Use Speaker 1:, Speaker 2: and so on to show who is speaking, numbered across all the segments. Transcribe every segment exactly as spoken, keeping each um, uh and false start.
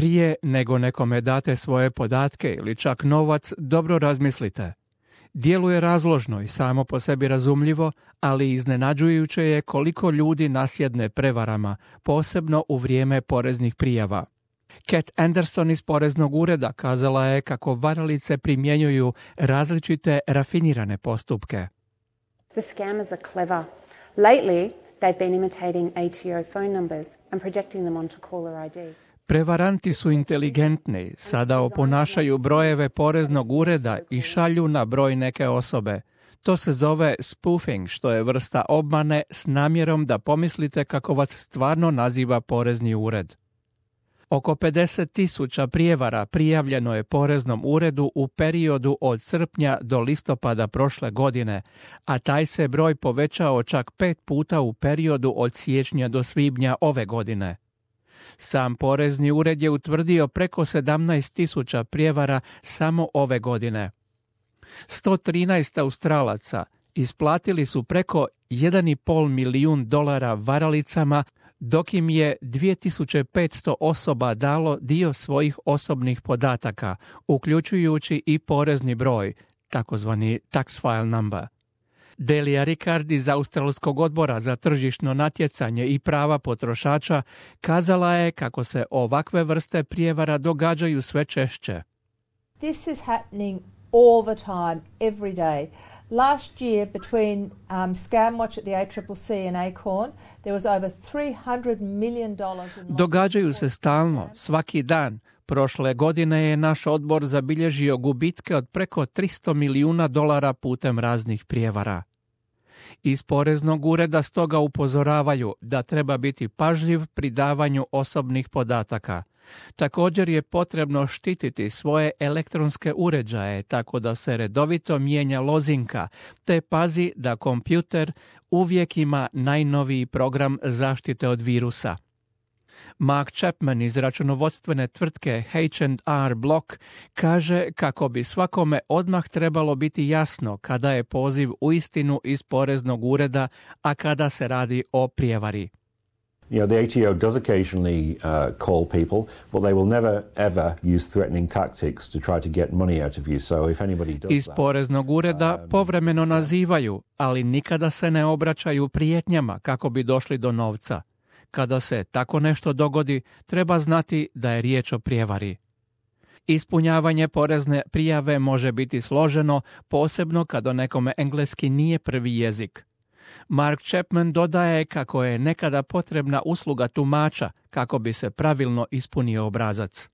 Speaker 1: Prije nego nekome date svoje podatke ili čak novac, dobro razmislite. Djeluje razložno i samo po sebi razumljivo, ali iznenađujuće je koliko ljudi nasjedne prevarama, posebno u vrijeme poreznih prijava. Kat Anderson iz Poreznog ureda kazala je kako varalice primjenjuju različite rafinirane postupke.
Speaker 2: The scammers are clever. Lately, they've been imitating A T O phone numbers and projecting them onto caller I D.
Speaker 1: Prevaranti su inteligentni, sada oponašaju brojeve poreznog ureda i šalju na broj neke osobe. To se zove spoofing, što je vrsta obmane s namjerom da pomislite kako vas stvarno naziva porezni ured. Oko pedeset tisuća prijevara prijavljeno je poreznom uredu u periodu od srpnja do listopada prošle godine, a taj se broj povećao čak pet puta u periodu od siječnja do svibnja ove godine. Sam porezni ured je utvrdio preko sedamnaest tisuća prijevara samo ove godine. sto trinaest Australaca isplatili su preko jedan i pol milijun dolara varalicama, dok im je dvije tisuće petsto osoba dalo dio svojih osobnih podataka, uključujući i porezni broj, takozvani tax file number. Delia Ricard iz Australskog odbora za tržišno natjecanje i prava potrošača kazala je kako se ovakve vrste prijevara događaju sve češće.
Speaker 3: This is happening all the time, every day. Last year, between um, ScamWatch at the A C C C and Acorn, there was over three hundred million dollars in losses.
Speaker 1: Događaju se stalno, svaki dan. Prošle godine je naš odbor zabilježio gubitke od preko tristo milijuna dolara putem raznih prijevara. Iz poreznog ureda stoga upozoravaju da treba biti pažljiv pri davanju osobnih podataka. Također je potrebno štititi svoje elektronske uređaje tako da se redovito mijenja lozinka, te pazi da kompjuter uvijek ima najnoviji program zaštite od virusa. Mark Chapman iz računovodstvene tvrtke H and R Block kaže kako bi svakome odmah trebalo biti jasno kada je poziv uistinu iz poreznog ureda, a kada se radi o prijevari.
Speaker 4: You know, the A T O does occasionally uh, call people, but they will never ever use threatening tactics to try to get money out of you. So if anybody does
Speaker 1: Iz
Speaker 4: that,
Speaker 1: poreznog ureda
Speaker 4: um,
Speaker 1: povremeno nazivaju, ali nikada se ne obraćaju prijetnjama kako bi došli do novca. Kada se tako nešto dogodi, treba znati da je riječ o prijevari. Ispunjavanje porezne prijave može biti složeno, posebno kada nekome engleski nije prvi jezik. Mark Chapman dodaje kako je nekada potrebna usluga tumača kako bi se pravilno ispunio obrazac.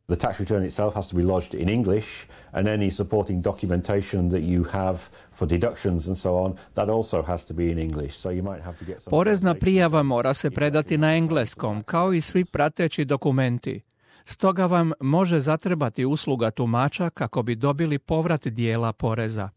Speaker 4: The tax return itself has to be lodged in English, and any supporting documentation that you have for deductions and so on, that also has to be in English. So you might have to get some
Speaker 1: Porezna prijava mora se predati na engleskom, kao i svi prateći dokumenti. Stoga vam može zatrebati usluga tumača kako bi dobili povrat dijela poreza.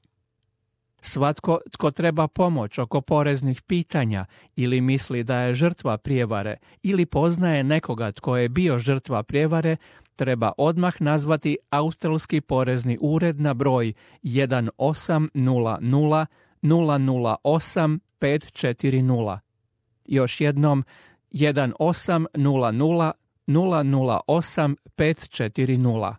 Speaker 1: Svatko tko treba pomoć oko poreznih pitanja ili misli da je žrtva prijevare ili poznaje nekoga tko je bio žrtva prijevare, treba odmah nazvati Australski porezni ured na broj jedan osam nula nula nula nula osam pet četiri nula. Još jednom jedan osam nula nula nula nula osam pet četiri nula.